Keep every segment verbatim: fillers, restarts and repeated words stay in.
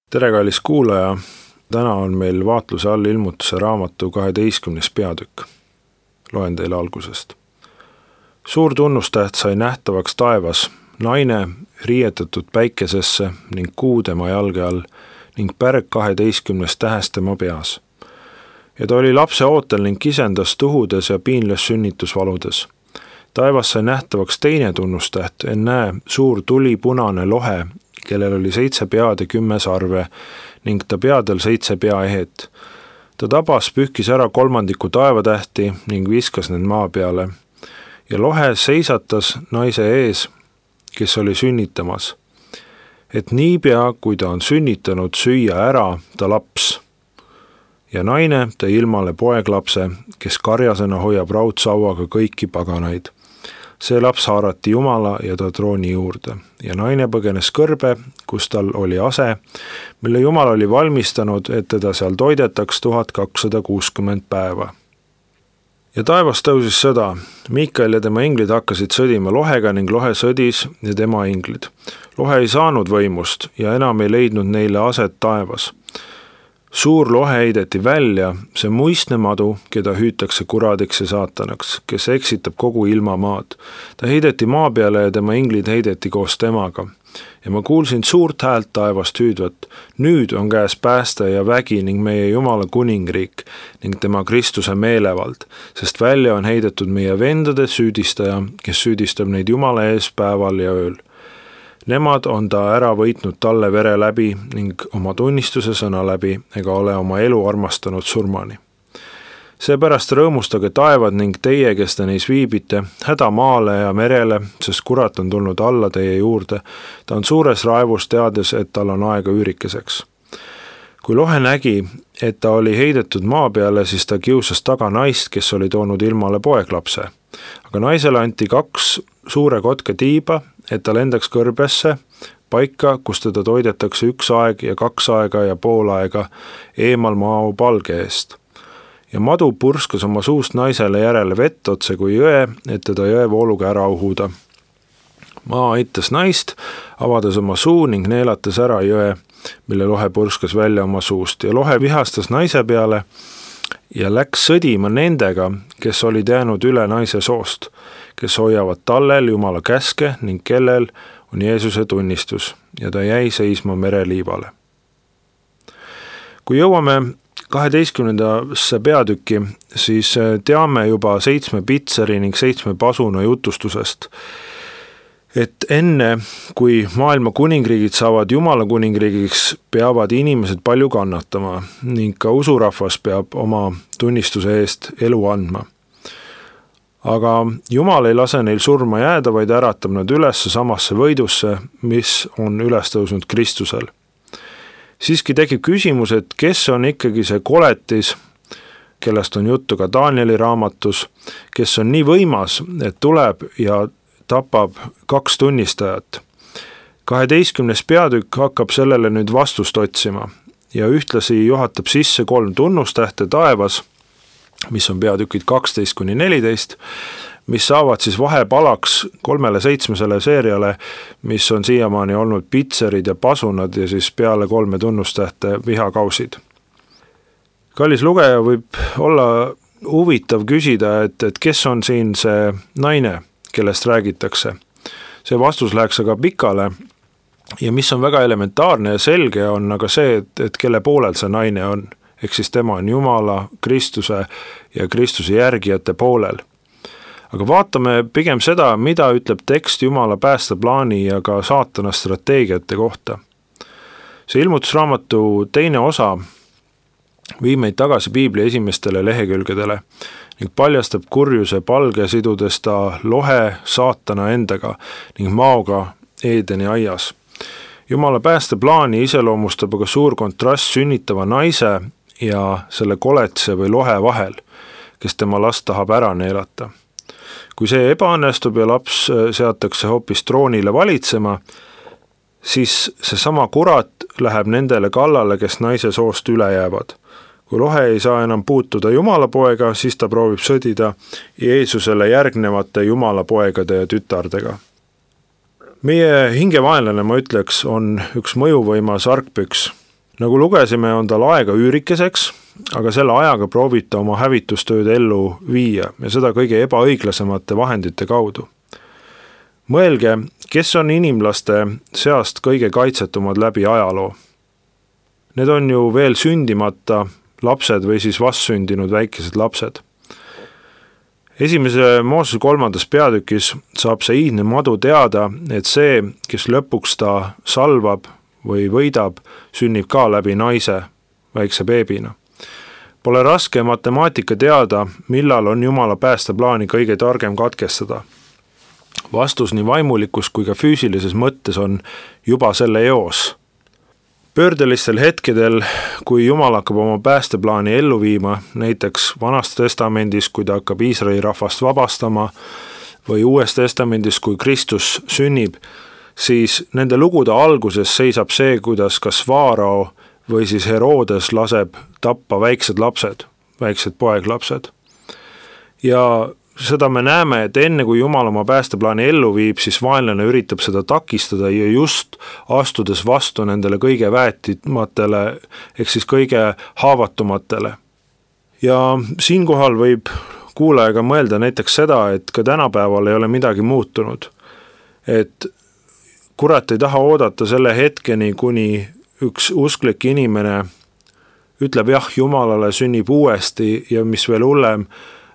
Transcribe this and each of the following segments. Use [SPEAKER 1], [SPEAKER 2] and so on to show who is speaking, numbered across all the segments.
[SPEAKER 1] Tere, kallis kuulaja! Täna on meil vaatluse all ilmutuse raamatu kaheteistkümnes peatükk. Loen teile algusest. Suur tunnustäht sai nähtavaks taevas, naine riietatud päikesesse ning kuu tema jalge all ning pärg kaheteistkümnes tähest tema peas. Ja ta oli lapse ootel ning kisendas tuhudes ja piinles sünnitusvaludes. Taevas sai nähtavaks teine tunnustäht, ennäe suur tulipunane lohe, kellel oli seitse pead ja kümme sarve ning ta peadel seitse peaehet. Ta tabas pühkis ära kolmandiku taevatähti ning viskas need maa peale. Ja lohe seisatas naise ees, kes oli sünnitamas. Et niipea, kui ta on sünnitanud, süüa ära ta laps. Ja naine tõi ilmale poeglapse, kes karjasena hoiab raudsauaga kõiki paganaid. See laps haarati Jumala ja ta trooni juurde ja naine põgenes kõrbe, kus tal oli ase, mille Jumal oli valmistanud, et teda seal toidetaks tuhat kakssada kuuskümmend päeva. Ja taevas tõusis sõda. Miikael ja tema inglid hakkasid sõdima lohega ning lohe sõdis ja tema inglid. Lohe ei saanud võimust ja enam ei leidnud neile aset taevas. Suur lohe heideti välja, see muistne madu, keda hüütakse kuradiks ja saatanaks, kes eksitab kogu ilmamaad. Ta heideti maa peale ja tema inglid heideti koos temaga. Ja ma kuulsin suurt häält taevast hüüdvat. Nüüd on käes pääste ja vägi ning meie Jumala kuningriik ning tema Kristuse meelevald, sest välja on heidetud meie vendade süüdistaja, kes süüdistab neid Jumala ees päeval ja ööl. Nemad on ta ära võitnud talle vere läbi ning oma tunnistuse sõna läbi ega ole oma elu armastanud surmani. Seepärast rõõmustage taevad ning teie, kes te neis viibite, häda maale ja merele, sest kurat on tulnud alla teie juurde. Ta on suures raevus teades, et tal on aega üürikeseks. Kui lohe nägi, et ta oli heidetud maa peale, siis ta kiusas taga naist, kes oli toonud ilmale poeglapse. Aga naisele anti kaks suure kotke tiiba, et ta lendaks kõrbesse, paika, kus teda toidetakse üks aeg ja kaks aega ja pool aega eemal maa palge eest. Ja madu purskas oma suust naisele järele vett otse kui jõe, et teda jõe vooluga ära uhuda. Maa aitas naist, avades oma suu ning neelates ära jõe, mille lohe purskas välja oma suust ja lohe vihastas naise peale ja läks sõdima nendega, kes olid jäänud üle naise soost, kes hoiavad tallel Jumala käske ning kellel on Jeesuse tunnistus ja ta jäi seisma mereliivale. Kui jõuame kaheteistkümnendasse peatükki, siis teame juba seitsme pitseri ning seitsme pasuna jutustusest, et enne, kui maailma kuningriigid saavad Jumala kuningriigiks, peavad inimesed palju kannatama ning ka usurahvas peab oma tunnistuse eest elu andma. Aga Jumal ei lase neil surma jääda, vaid äratab nad üles samasse võidusse, mis on üles tõusnud Kristusel. Siiski tekib küsimus, et kes on ikkagi see koletis, kellest on juttu ka Danieli raamatus, kes on nii võimas, et tuleb ja tapab kaks tunnistajat. kaheteistkümnes peatükk hakkab sellele nüüd vastust otsima ja ühtlasi juhatab sisse kolm tunnustähte taevas, mis on peatükid kaksteist kuni neliteist, mis saavad siis vahepalaks kolmele seitsmesele seeriale, mis on siiamaani olnud pitserid ja pasunad ja siis peale kolme tunnustähte vihakausid. Kallis lugeja, võib olla huvitav küsida, et, et kes on siin see naine, kellest räägitakse. See vastus läheks aga pikale ja mis on väga elementaarne ja selge on aga see, et, et kelle poolel see naine on. Ehk siis tema on Jumala, Kristuse ja Kristuse järgijate poolel. Aga vaatame pigem seda, mida ütleb tekst Jumala päästeplaani ja ka saatana strateegiate kohta. See ilmutusraamatu teine osa viib meid tagasi Piibli esimestele lehekülgedele ning paljastab kurjuse palge sidudes ta lohe saatana endaga ning maoga Eedeni aias. Jumala päästeplaani iseloomustab aga suur kontrast sünnitava naise ja selle koletse või lohe vahel, kes tema last tahab ära neelata. Kui see ebaõnnestub ja laps seatakse hoopis troonile valitsema, siis see sama kurat läheb nendele kallale, kes naise soost üle jäävad. Kui lohe ei saa enam puutuda Jumala poega, siis ta proovib sõdida Jeesusele järgnevate Jumala poegade ja tütardega. Meie hingevaenlane, ma ütleks, on üks mõjuvõimas argpüks, Nagu lugesime, on tal aega üürikeseks, aga selle ajaga proovib ta oma hävitustööd ellu viia ja seda kõige ebaõiglasemate vahendite kaudu. Mõelge, kes on inimlaste seast kõige kaitsetumad läbi ajaloo. Need on ju veel sündimata lapsed või siis vastsündinud väikesed lapsed. Esimese Moosese kolmandas peatükis saab see iidne madu teada, et see, kes lõpuks ta salvab või võidab, sünnib ka läbi naise väikse beebina. Pole raske matemaatika teada, millal on Jumala päästeplaani kõige targem katkestada. Vastus nii vaimulikus kui ka füüsilises mõttes on juba selle eos. Pöördelistel hetkedel, kui Jumal hakkab oma päästeplaani ellu viima, näiteks Vanas testamendis, kui ta hakkab Iisraeli rahvast vabastama, või Uues testamendis, kui Kristus sünnib, siis nende lugude alguses seisab see, kuidas kas Vaarao või siis Herodes laseb tappa väiksed lapsed, väiksed poeglapsed. Ja seda me näeme, et enne kui Jumal oma päästeplaani ellu viib, siis vaenlane üritab seda takistada ja just astudes vastu nendele kõige väetimatele, ehk siis kõige haavatumatele. Ja siinkohal võib kuulajaga mõelda näiteks seda, et ka tänapäeval ei ole midagi muutunud. Et kurat ei taha oodata selle hetkeni, kuni üks usklik inimene ütleb jah Jumalale, sünnib uuesti ja mis veel hullem,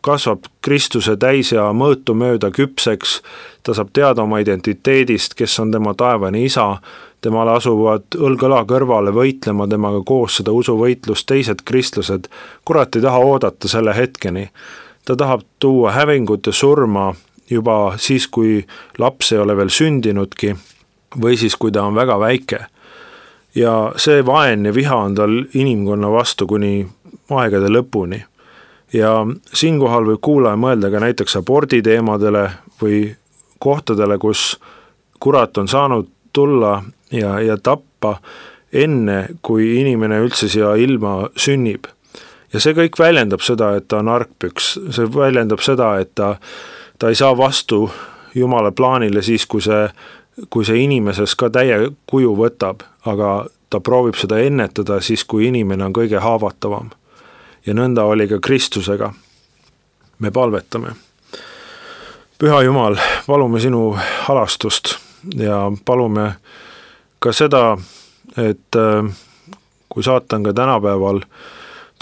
[SPEAKER 1] kasvab Kristuse täis ja mõõtu mööda küpseks, ta saab teada oma identiteedist, kes on tema taevane isa, temale asuvad õlg-õla kõrvale võitlema temaga koos seda usuvõitlust teised kristlased, kurat ei taha oodata selle hetkeni. Ta tahab tuua hävingut ja surma juba siis, kui laps ei ole veel sündinudki või siis, kui ta on väga väike. Ja see vaen ja viha on tal inimkonna vastu kuni aegade lõpuni. Ja siinkohal võib kuulaja mõelda ka näiteks abordi teemadele või kohtadele, kus kurat on saanud tulla ja, ja tappa enne, kui inimene üldse siia ilma sünnib. Ja see kõik väljendab seda, et ta on argpüks, see väljendab seda, et ta, ta ei saa vastu Jumala plaanile siis, kui see, kui see inimeses ka täie kuju võtab, aga ta proovib seda ennetada siis, kui inimene on kõige haavatavam. Ja nõnda oli ka Kristusega. Me palvetame. Püha Jumal, palume sinu halastust ja palume ka seda, et kui saatan ka tänapäeval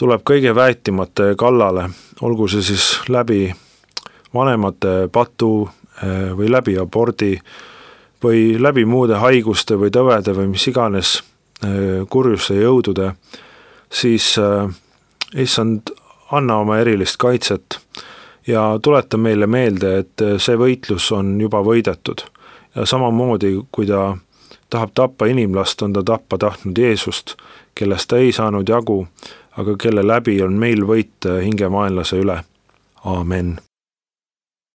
[SPEAKER 1] tuleb kõige väetimate kallale, olgu see siis läbi vanemate patu või läbi abordi või läbi muude haiguste või tõvede või mis iganes kurjuste jõudude, siis issand, anna oma erilist kaitset ja tuleta meile meelde, et see võitlus on juba võidetud. Ja samamoodi, kui ta tahab tappa inimlast, on ta tappa tahtnud Jeesust, kellest ta ei saanud jagu, aga kelle läbi on meil võit hingemaenlase üle. Aamen.